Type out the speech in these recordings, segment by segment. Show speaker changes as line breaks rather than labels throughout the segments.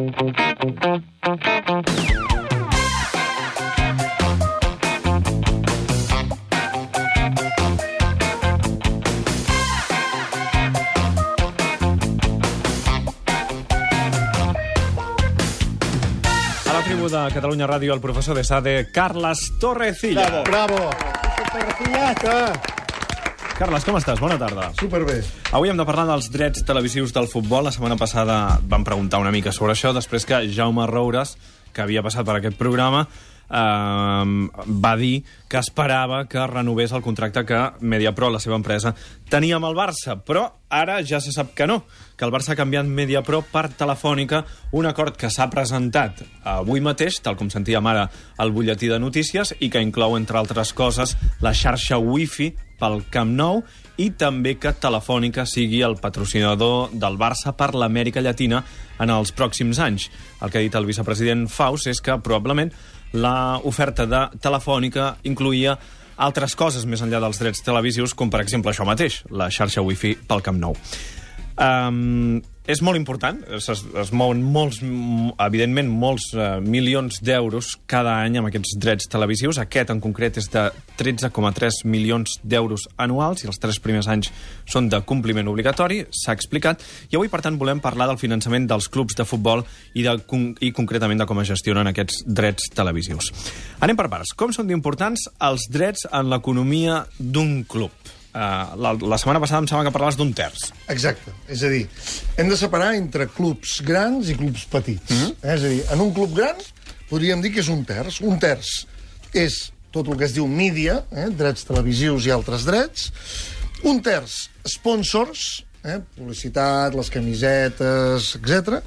De Catalunya Ràdio, el professor de SADE, Carles Torrecilla.
Bravo!
Carles, com estàs? Bona tarda.
Superbé.
Avui hem de parlar dels drets televisius del futbol. La setmana passada vam preguntar una mica sobre això, després que Jaume Roures, que havia passat per aquest programa, va dir que esperava que renovés el contracte que Mediapro, la seva empresa, tenia amb el Barça, però ara ja se sap que no, que el Barça ha canviat Mediapro per Telefònica, un acord que s'ha presentat avui mateix, tal com sentíem ara al butlletí de notícies, i que inclou, entre altres coses, la xarxa Wi-Fi pel Camp Nou i també que Telefònica sigui el patrocinador del Barça per l'Amèrica Llatina en els pròxims anys. El que ha dit el vicepresident Faus és que probablement l'oferta de Telefònica incloïa altres coses més enllà dels drets televisius, com per exemple això mateix, la xarxa Wi-Fi pel Camp Nou. És molt important, es mouen evidentment molts milions d'euros cada any amb aquests drets televisius. Aquest en concret és de 13,3 milions d'euros anuals i els 3 primers anys són de compliment obligatori, s'ha explicat, i avui per tant volem parlar del finançament dels clubs de futbol i concretament de com es gestionen aquests drets televisius. Anem per parts. Com són d'importants els drets en l'economia d'un club? La setmana passada em sembla que parlaves d'un terç.
Exacte. És a dir, hem de separar entre clubs grans i clubs petits. És a dir, en un club gran podríem dir que és un terç. Un terç és tot el que es diu mídia, drets televisius i altres drets. Un terç, sponsors, publicitat, les camisetes, etc.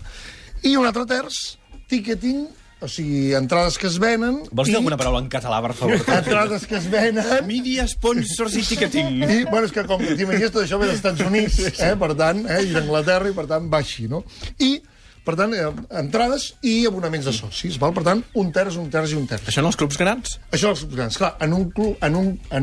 I un altre terç, ticketing, o sigui, entrades que es venen...
Vols dir alguna paraula en català, per favor?
Entrades que es venen...
Mídia, sponsors i ticketing.
I, bueno, és que com que t'imagines tot això ve dels Estats Units, per tant, i d'Anglaterra, i per tant va així, no? I, per tant, entrades i abonaments de socis, val? Per tant, un terç, un terç i un terç.
Això en els clubs grans?
Això en els clubs grans. Clar, en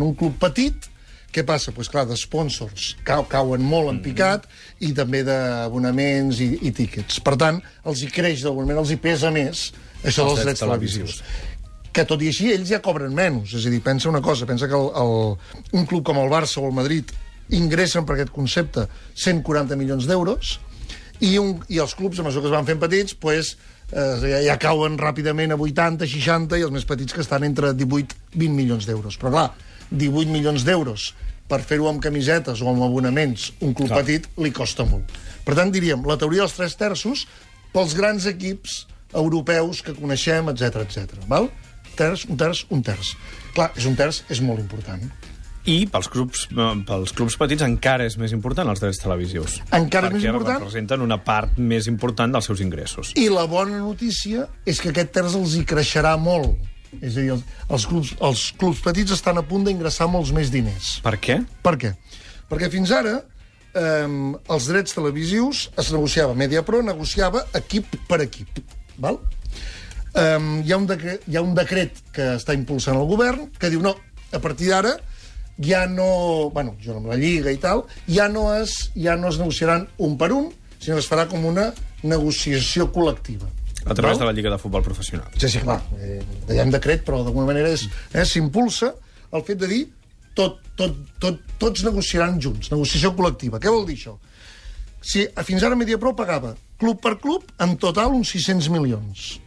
un club petit, què passa? Doncs clar, de sponsors cauen molt en picat i també d'abonaments i tíquets. Per tant, els hi creix d'alguna manera, els hi pesa més això dels drets televisius. Que tot i així ells ja cobren menys. És a dir, pensa una cosa, pensa que un club com el Barça o el Madrid ingressen per aquest concepte 140 milions d'euros i els clubs, a mesura que es van fent petits, pues, ja cauen ràpidament a 80, 60 i els més petits que estan entre 18-20 milions d'euros. Però clar, 18 milions d'euros per fer-ho amb camisetes o amb abonaments, un club petit li costa molt. Per tant, diríem, la teoria dels 3 terços pels grans equips europeus que coneixem, etc etc. Val? Un terç. Clar, un terç és molt important.
I pels clubs petits encara és més important els drets televisius.
Encara és més important.
Perquè representen una part més important dels seus ingressos.
I la bona notícia és que aquest terç els hi creixerà molt. És a dir, els clubs petits estan a punt d'ingressar molts més diners.
Per què?
Per què? Perquè fins ara els drets televisius es negociava, Mediapro negociava equip per equip. Val? Hi ha un decret que està impulsant el govern que diu, no, a partir d'ara ja no... Bueno, jo amb la Lliga i tal, ja no es negociaran un per un, sinó que es farà com una negociació col·lectiva.
A través de la Lliga de Futbol Professional.
Sí, clar. Hi ha un decret, però d'alguna manera s'impulsa el fet de dir tots negociaran junts, negociació col·lectiva. Què vol dir això? Si fins ara Mediapro pagava club per club, en total uns 600 milions.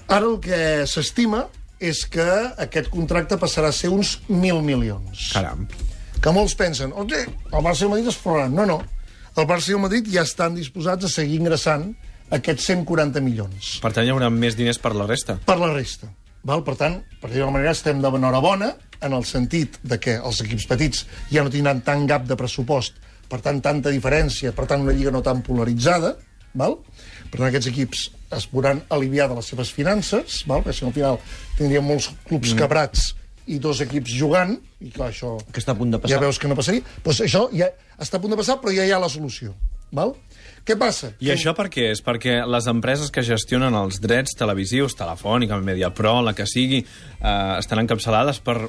Ara el que s'estima és que aquest contracte passarà a ser uns 1.000 milions.
Caram.
Que molts pensen, el Barça i el Madrid es forraran. No. El Barça i el Madrid ja estan disposats a seguir ingressant aquests 140 milions.
Per tant, hi haurà més diners per la resta.
Per la resta. Val? Per tant, per dir-ho d'alguna manera, estem d'enhorabona en el sentit de que els equips petits ja no tindran tant gap de pressupost, per tant, tanta diferència, per tant, una lliga no tan polaritzada, val? Per tant, aquests equips es podran aliviar de les seves finances, val? Perquè si no, al final tindríem molts clubs quebrats i 2 equips jugant, i clar, això...
Que està a punt de passar.
Ja veus que no passaria. Doncs això ja està a punt de passar, però ja hi ha la solució. Val? Què passa?
I això per què és? Perquè les empreses que gestionen els drets televisius, Telefònica, Mediapro, la que sigui, estan encapçalades per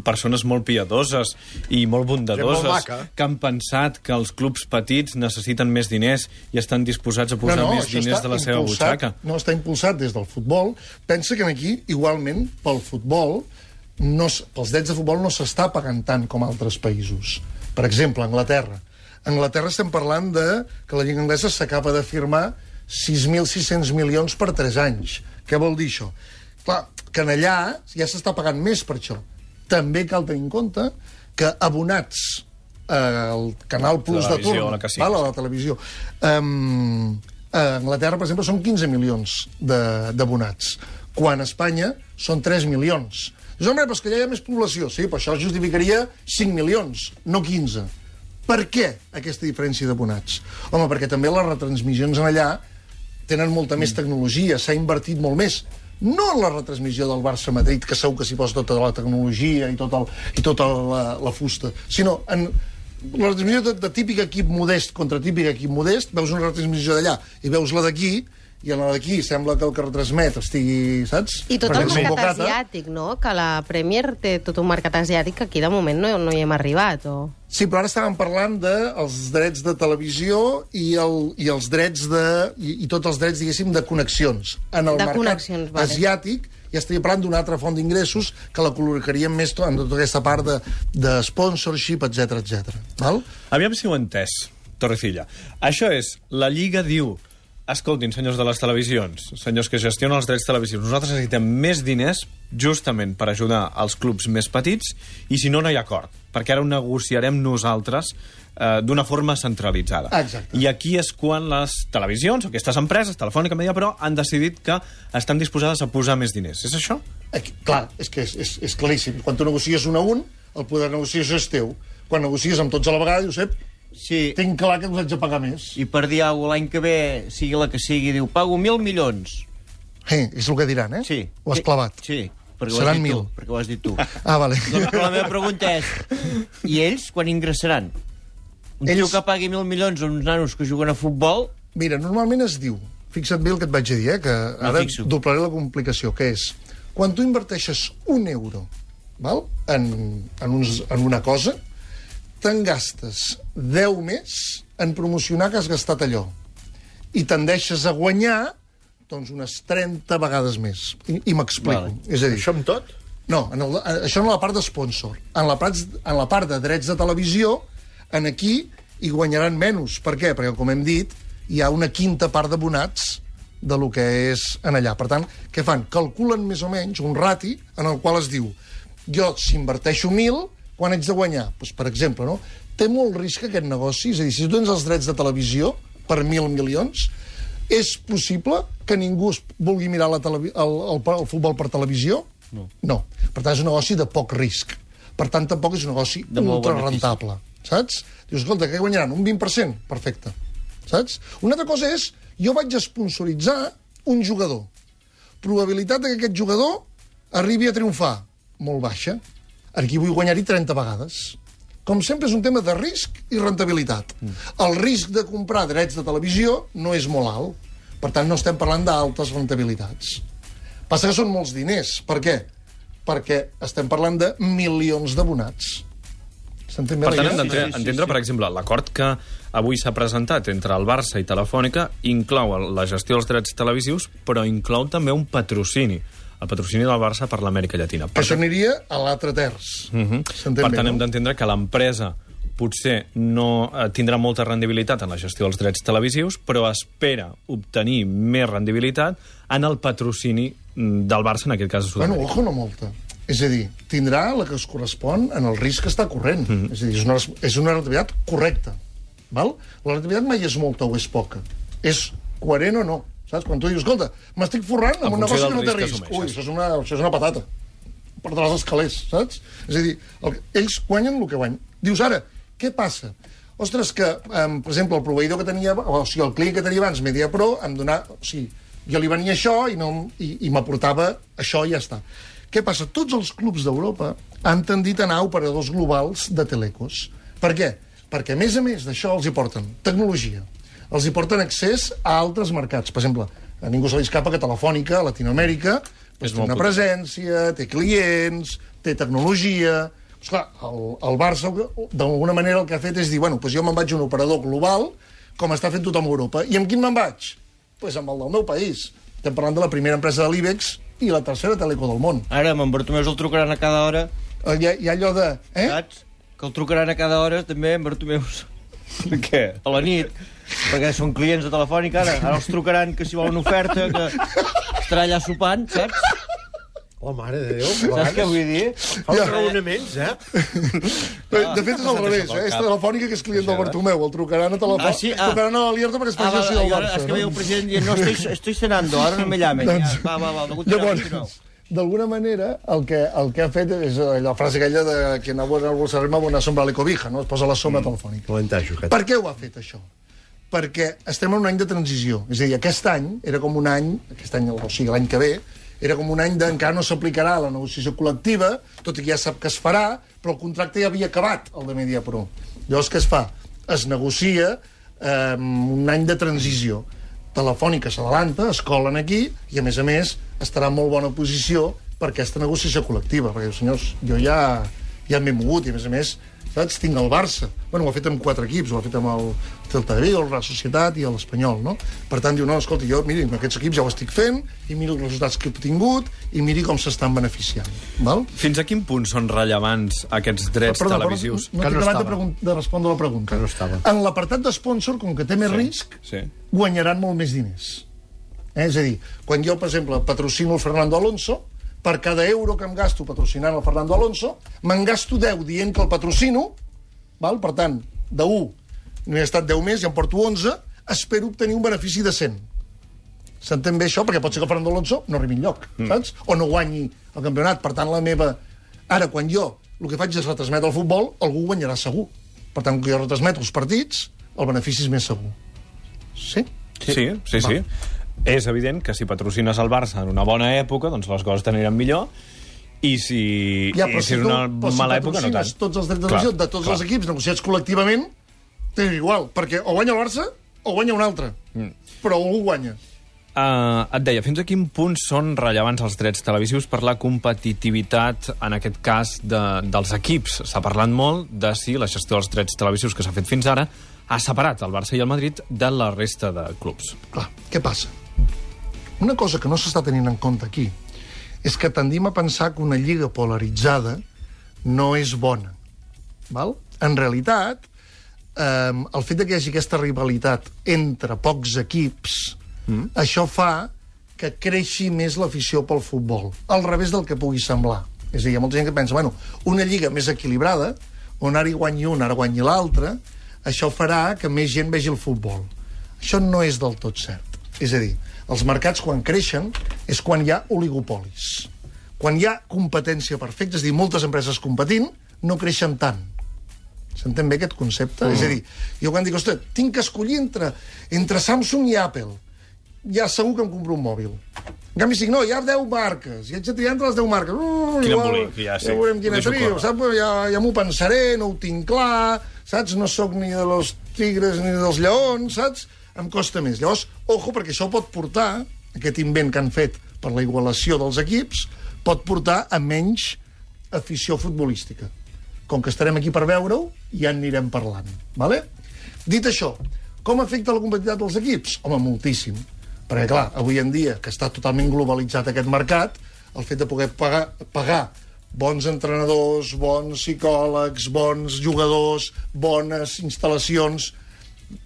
persones molt piadoses i molt bondadoses que han pensat que els clubs petits necessiten més diners i estan disposats a posar més diners de la seva butxaca.
No, està impulsat des del futbol. Pensa que aquí, igualment, pel futbol, pels drets de futbol no s'està pagant tant com altres països. Per exemple, Anglaterra. A Anglaterra estem parlant que la Lliga Anglesa s'acaba de firmar 6.600 milions per 3 anys. Què vol dir això? Clar, que en allà ja s'està pagant més per això. També cal tenir en compte que abonats al Canal Plus de torn, a la televisió, a Anglaterra, per exemple, són 15 milions d'abonats, quan a Espanya són 3 milions. Dius, home, però és que allà hi ha més població. Sí, però això justificaria 5 milions, no 15. Per què aquesta diferència d'abonats? Home, perquè també les retransmissions en allà tenen molta més tecnologia, s'ha invertit molt més. No en la retransmissió del Barça-Madrid, que segur que s'hi posa tota la tecnologia i tota la fusta, sinó en la retransmissió de típic equip modest contra típic equip modest, veus una retransmissió d'allà i veus la d'aquí, i en la d'aquí sembla que el que retransmet estigui, saps?
I tot el mercat asiàtic, no? Que la Premier té tot un mercat asiàtic que aquí de moment no hi hem arribat, o...
Sí, però ara estàvem parlant dels drets de televisió i els drets i tots els drets, diguéssim, de connexions. En el mercat asiàtic ja estaria parlant d'una altra font d'ingressos que la col·locaríem més en tota aquesta part de sponsorship, etc etc.
Aviam si ho he entès, Torrecilla. Això és, la Lliga diu: escoltin, senyors de les televisions, senyors que gestionen els drets televisius, nosaltres necessitem més diners justament per ajudar els clubs més petits i si no, no hi ha acord, perquè ara ho negociarem nosaltres d'una forma centralitzada.
Exacte.
I aquí és quan les televisions, aquestes empreses, Telefònica, Mediapro, han decidit que estan disposades a posar més diners. És això?
Clar, és que és claríssim. Quan tu negocies un a un, el poder de negociació és teu. Quan negocies amb tots a la vegada, dius, sí, tinc clar que us haig de pagar més.
I per dir alguna cosa, l'any que ve, sigui la que sigui, diu, pago 1.000 milions.
És el que diran,
Sí.
Ho has clavat.
Sí, perquè
seran
1.000. Perquè ho has dit tu.
Vale.
Doncs, però la meva pregunta és, i ells quan ingressaran? Un tio que pagui 1.000 milions a uns nanos que juguen a futbol...
Mira, normalment es diu, fixa't bé el que et vaig a dir, que ara doblaré la complicació, que és, quan tu inverteixes €1 en una cosa, te'n gastes 10 més en promocionar que has gastat allò. I tendeixes a guanyar doncs unes 30 vegades més. I m'explico.
Vale.
És a dir,
això amb tot?
No, això en la part d'esponsor. En la part de drets de televisió, en aquí hi guanyaran menys. Per què? Perquè, com hem dit, hi ha una quinta part d'abonats de lo que és en allà. Per tant, què fan? Calculen més o menys un rati en el qual es diu jo, si inverteixo 1.000, quan haig de guanyar? Doncs, per exemple, no? Té molt risc aquest negoci, és a dir, si tu tens els drets de televisió per 1.000 milions, és possible que ningú vulgui mirar el futbol per televisió? No. Per tant, és un negoci de poc risc. Per tant, tampoc és un negoci ultra rentable. Saps? Dius, escolta, què guanyaran? Un 20%? Perfecte. Saps? Una altra cosa és, jo vaig sponsoritzar un jugador. Probabilitat que aquest jugador arribi a triomfar? Molt baixa. Aquí vull guanyar-hi 30 vegades. Com sempre, és un tema de risc i rentabilitat. El risc de comprar drets de televisió no és molt alt. Per tant, no estem parlant d'altes rentabilitats. Passa que són molts diners. Per què? Perquè estem parlant de milions d'abonats.
Per tant, hem d'entendre, per exemple, l'acord que avui s'ha presentat entre el Barça i Telefònica inclou la gestió dels drets televisius, però inclou també un patrocini. El patrocini del Barça per l'Amèrica Llatina.
Això aniria a l'altre terç.
Per tant, hem d'entendre que l'empresa potser no tindrà molta rendibilitat en la gestió dels drets televisius, però espera obtenir més rendibilitat en el patrocini del Barça, en aquest cas de Sud-amèrica.
Bueno, ojo, no molta. És a dir, tindrà la que es correspon en el risc que està corrent. És a dir, és una rentabilitat correcta. Val? La rentabilitat mai és molta o és poca. És coherent o no. Saps? Quan tu dius, escolta, m'estic forrant amb un negoci que no té risc. Ui, això és una patata. Perdràs els calés, saps? És a dir, ells guanyen el que guanyen. Dius, ara, què passa? Ostres, que, per exemple, el proveïdor que tenia, o sigui, el client que tenia abans, Mediapro, em donava... O sigui, jo li venia això i m'aportava això i ja està. Què passa? Tots els clubs d'Europa han tendit a anar a operadors globals de telecos. Per què? Perquè, a més d'això, els hi porten tecnologia, els hi porten accés a altres mercats. Per exemple, a ningú se li escapa que Telefònica, a Latinoamèrica, té una presència, té clients, té tecnologia... Esclar, el Barça, d'alguna manera, el que ha fet és dir, bueno, doncs jo me'n vaig a un operador global, com està fent tothom a Europa. I amb quin me'n vaig? Doncs amb el del meu país. Estem parlant de la primera empresa de l'IBEX i la tercera teleco del món.
Ara, amb en Bartomeu el trucaran a cada hora.
Hi ha allò de...
Saps? Que el trucaran a cada hora, també, en Bartomeu.
Per què?
A la nit. Perquè són clients de Telefònica, ara. Ara els trucaran que si volen oferta, que estarà allà sopant, saps?
Oh, mare de Déu.
Saps què vull dir?
Fa uns raonaments,
De fet, és al revés, És Telefònica que és client del Bartomeu. El trucaran a Telefònica. Trucaran a l'Alierta perquè es faci el del Barça.
És que ve el president dient, no, estoy cenando, ahora no me llamen. Va,
llavors, d'alguna manera, el que ha fet és la frase aquella de que no vol ser-me bona sombra a l'ecobija, no? Es posa la sombra telefònica. Per què ho ha fet, això? Perquè estem en un any de transició. És a dir, aquest any era com un any, aquest any, o sigui, l'any que ve, era com un any d'encara no s'aplicarà la negociació col·lectiva, tot i que ja sap que es farà, però el contracte ja havia acabat, el de Mediapro. Llavors, què es fa? Es negocia un any de transició. Telefònica s'adelanta, es colen aquí, i a més, estarà en molt bona posició per aquesta negociació col·lectiva, perquè, senyors, jo ja m'he mogut, i a més, saps? Tinc el Barça. Bueno, ho ha fet amb 4 equips, ho ha fet amb el Celta de Vigo, el Real Societat i l'Espanyol, no? Per tant, diu, no, escolta, jo, miri, amb aquests equips ja ho estic fent, i miri els resultats que he obtingut, i miri com s'estan beneficiant. Val?
Fins a quin punt són rellevants aquests drets televisius?
No tinc acabat de respondre la pregunta.
Que no estava.
En l'apartat d'espònsor, com que té més risc, guanyaran molt més diners. És a dir, quan jo, per exemple, patrocino el Fernando Alonso, per cada euro que em gasto patrocinant el Fernando Alonso, me'n gasto 10 dient que el patrocino, val? Per tant, de 1 no he estat 10 més, ja em porto 11, espero obtenir un benefici de 100. S'entén bé això? Perquè pot ser que el Fernando Alonso no arribi enlloc, saps? O no guanyi el campionat. Per tant, la meva... Ara, quan jo el que faig és retransmetre el futbol, algú guanyarà segur. Per tant, que jo retransmeto els partits, el benefici és més segur. Sí?
Sí. És evident que si patrocines el Barça en una bona època, doncs les coses t'aniran millor, i si és una mala època, no tant.
Tots els drets de televisió de tots els equips negociats col·lectivament, tenen igual, perquè o guanya el Barça o guanya un altre. Però algú guanya.
Et deia, fins a quin punt són rellevants els drets televisius per la competitivitat, en aquest cas, dels equips? S'ha parlat molt de si la gestió dels drets televisius que s'ha fet fins ara ha separat el Barça i el Madrid de la resta de clubs.
Clar, què passa? Una cosa que no s'està tenint en compte aquí és que tendim a pensar que una lliga polaritzada no és bona. Val? En realitat, el fet que hi hagi aquesta rivalitat entre pocs equips, això fa que creixi més l'afició pel futbol, al revés del que pugui semblar. És a dir, hi ha molta gent que pensa, bueno, una lliga més equilibrada, on ara hi guanyi un, ara guanyi l'altre, això farà que més gent vegi el futbol. Això no és del tot cert. És a dir, els mercats, quan creixen, és quan hi ha oligopolis. Quan hi ha competència perfecta, és a dir, moltes empreses competint, no creixen tant. S'entén bé aquest concepte? És a dir, jo quan dic, ostres, tinc que escollir entre Samsung i Apple, ja segur que em compro un mòbil. En canvi, si no, hi ha 10 marques, i haig de triar entre les 10 marques.
Quin embolic, ja
veurem quina trio, saps? Ja m'ho pensaré, no ho tinc clar, saps? No sóc ni de los tigres ni dels lleons, saps? Em costa més. Llavors, ojo, perquè això pot portar, aquest invent que han fet per la igualació dels equips, pot portar a menys afició futbolística. Com que estarem aquí per veure-ho, ja en anirem parlant. Vale? Dit això, com afecta la competitivitat dels equips? Home, moltíssim. Perquè, clar, avui en dia, que està totalment globalitzat aquest mercat, el fet de poder pagar bons entrenadors, bons psicòlegs, bons jugadors, bones instal·lacions,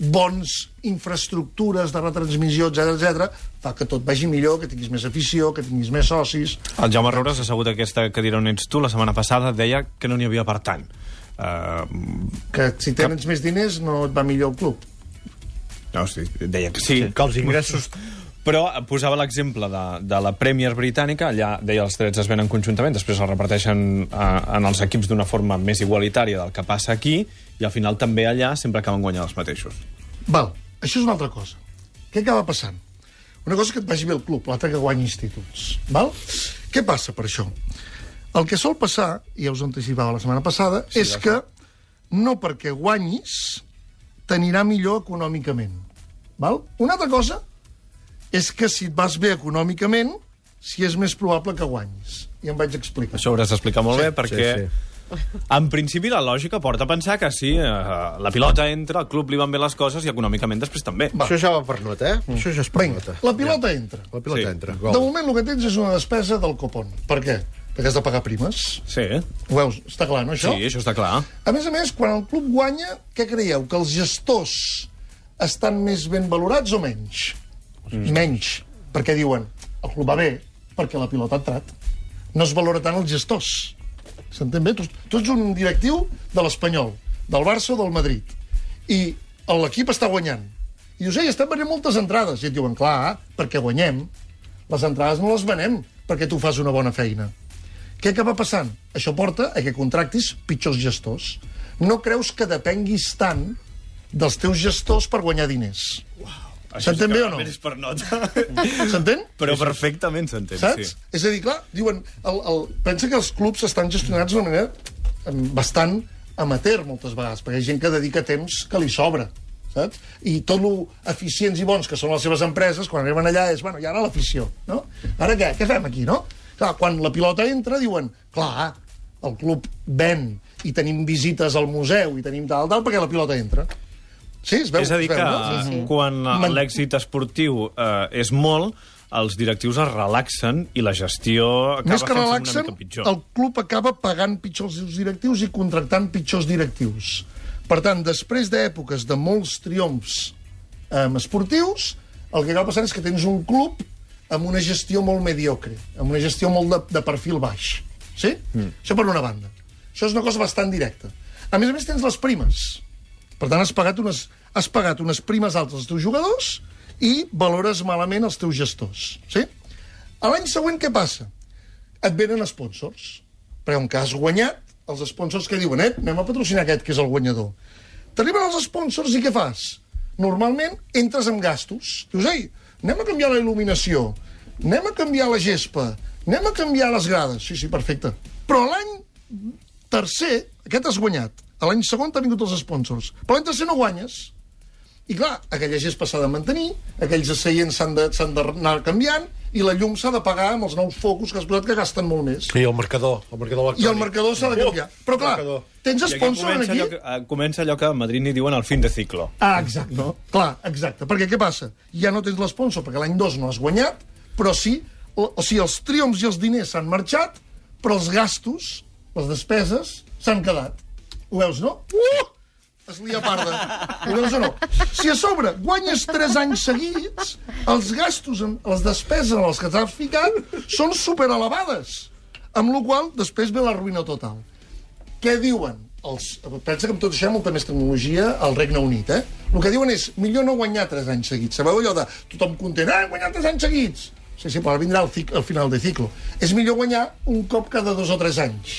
bones infraestructures de retransmissió, etc, fa que tot vagi millor, que tinguis més afició, que tinguis més socis...
El Jaume Roures, assegut a aquesta cadira on ets tu, la setmana passada deia que no n'hi havia per tant.
Que si tens més diners no et va millor el club.
No, sí, deia que sí.
Que els ingressos...
Però posava l'exemple de la Premier britànica, allà deia els drets es venen conjuntament, després els reparteixen en els equips d'una forma més igualitària del que passa aquí, i al final també allà sempre acaben guanyant els mateixos.
Val, això és una altra cosa. Què acaba passant? Una cosa que et vagi bé el club, l'altra que guanyi instituts. Val? Què passa per això? El que sol passar, i ja us anticipava la setmana passada, sí, és que no perquè guanyis t'anirà millor econòmicament. Val? Una altra cosa és que si et vas bé econòmicament, si és més probable que guanyis. I em vaig explicar.
Això ho hauràs d'explicar molt bé, perquè...
sí.
En principi, la lògica porta a pensar que sí, la pilota entra, al club li van bé les coses i econòmicament després també.
Va.
Això ja va per nota, Això ja és per
Vinga,
nota.
la pilota entra.
La pilota
Sí.
entra.
De moment el que tens és una despesa del copon. Per què? Perquè has de pagar primes.
Sí,
Ho veus? Està clar, no, això?
sí, això està clar.
A més, quan el club guanya, què creieu? Que els gestors estan més ben valorats o menys? Menys. Perquè diuen, el club va bé perquè la pilota ha entrat. No es valora tant els gestors. S'entén bé? Tu ets un directiu de l'Espanyol, del Barça o del Madrid, i l'equip està guanyant. I dius, estem venent moltes entrades. I et diuen, clar, perquè guanyem. Les entrades no les venem perquè tu fas una bona feina. Què acaba passant? Això porta a que contractis pitjors gestors. No creus que depenguis tant dels teus gestors per guanyar diners. S'entén bé o no?
És per nota.
S'entén?
Però perfectament s'entén,
Saps?
sí.
És a dir, clar, diuen... Pensa que els clubs estan gestionats d'una manera bastant amateur, moltes vegades, perquè hi ha gent que dedica temps que li sobra, saps? I tot lo eficients i bons que són les seves empreses, quan arriben allà és, bueno, i ara l'afició, no? Ara què? Què fem aquí, no? Clar, quan la pilota entra, diuen, clar, el club ven i tenim visites al museu i tenim tal, perquè la pilota entra. Sí, es veu,
És a dir,
es veu,
que
no?
Sí.
quan l'èxit esportiu és molt, els directius es relaxen i la gestió acaba
Més que
fent-se una
relaxen,
mica pitjor.
el club acaba pagant pitjor els seus directius i contractant pitjors directius. Per tant, després d'èpoques de molts triomfs esportius, el que acaba passant és que tens un club amb una gestió molt mediocre, amb una gestió molt de perfil baix. Sí? Això per una banda. Això és una cosa bastant directa. A més, tens les primes. Per tant, has pagat unes primes altes als teus jugadors i valores malament els teus gestors. Sí? A l'any següent què passa? Et venen sponsors. Perquè com que has guanyat, els sponsors que diuen, anem a patrocinar aquest que és el guanyador. T'arriben els sponsors i què fas? Normalment entres amb gastos. Dius, anem a canviar la il·luminació, anem a canviar la gespa, anem a canviar les grades. Sí, perfecte. Però l'any tercer, aquest has guanyat. A l'any segon t'han vingut els sponsors. Però l'any tercer no guanyes. I clar, aquella gespa s'ha de mantenir, aquells seients s'han d'anar canviant, i la llum s'ha de pagar amb els nous focus que has posat que gasten molt més.
I el marcador electrònic.
I el marcador s'ha de canviar. Però clar, tens
I aquí
sponsor aquí...
comença allò que a Madrid n'hi diuen el fin de ciclo.
Exacte. No? Clar, exacte. Perquè què passa? Ja no tens l'esponsor, perquè l'any 2 no has guanyat, però sí, o sigui, els triomfs i els diners s'han marxat, però els gastos, les despeses, s'han quedat. Ho veus, no? Es lia parda. Ho veus o no? Si a sobre guanyes 3 anys seguits, els gastos, les despeses en els que t'has ficat són superelevades. Amb la qual cosa, després ve la ruïna total. Què diuen? Pensa que amb tot això hi ha molta més tecnologia al Regne Unit, El que diuen és, millor no guanyar 3 anys seguits. Sabeu allò de tothom content, guanyar 3 anys seguits? Sí, però ara vindrà el final de ciclo. És millor guanyar un cop cada 2 o 3 anys.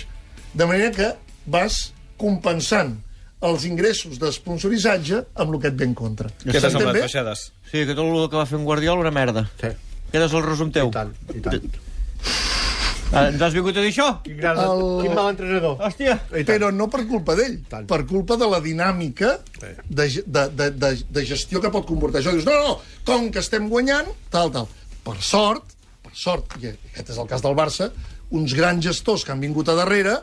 De manera que vas compensant els ingressos d'esponsoritzaje amb el que et ve en contra.
Què t'ha
S'entén
semblat,
bé?
Baixades?
Sí, que tot el que va fer en Guardiola una merda.
Sí.
Aquest és el resum teu.
I tant.
Ens has vingut a dir això?
Quin mal entrenador.
Hòstia.
Però no per culpa d'ell,
Tant.
per culpa de la dinàmica de gestió que pot comportar això. Dius, no, com que estem guanyant, tal. Per sort, i aquest és el cas del Barça, uns grans gestors que han vingut a darrere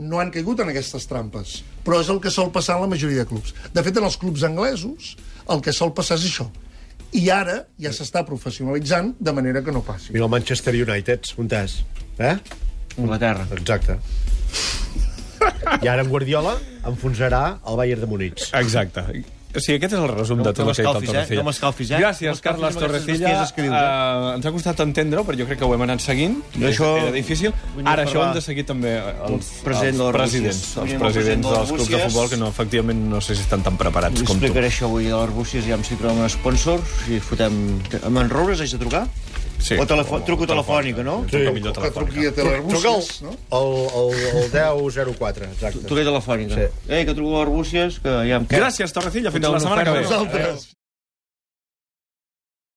no han caigut en aquestes trampes. Però és el que sol passar en la majoria de clubs. De fet, en els clubs anglesos, el que sol passar és això. I ara ja s'està professionalitzant de manera que no passi.
Mira el Manchester United, on és?
Anglaterra.
Exacte. I ara en Guardiola enfonsarà el Bayern de Múnich.
Exacte. O sigui, aquest és el resum de tot el que ha dit el Torrecilla.
No m'escalfis,
Gràcies, Carles Torrecilla. Ens ha costat entendre-ho, però jo crec que ho hem anat seguint.
Això
Era difícil. Ara això ho hem de seguir també els presidents dels clubs de futbol, que no, efectivament no sé si estan tan preparats com tu.
Explicaré això avui a l'Arbúcies, ja si trobem un sponsor, si fotem... Amb en Roures haig de trucar?
Sí.
O truco telefònica, no?
Sí.
Truca millor
Que truqui a
telefònica.
Telearbúcies, no?
El 1004, exacte.
Truca telefònica.
Sí.
Que truco a l'Arbúcies, que ja em quedo.
Gràcies, Torrecilla. Fins la setmana que ve.
Vosaltres.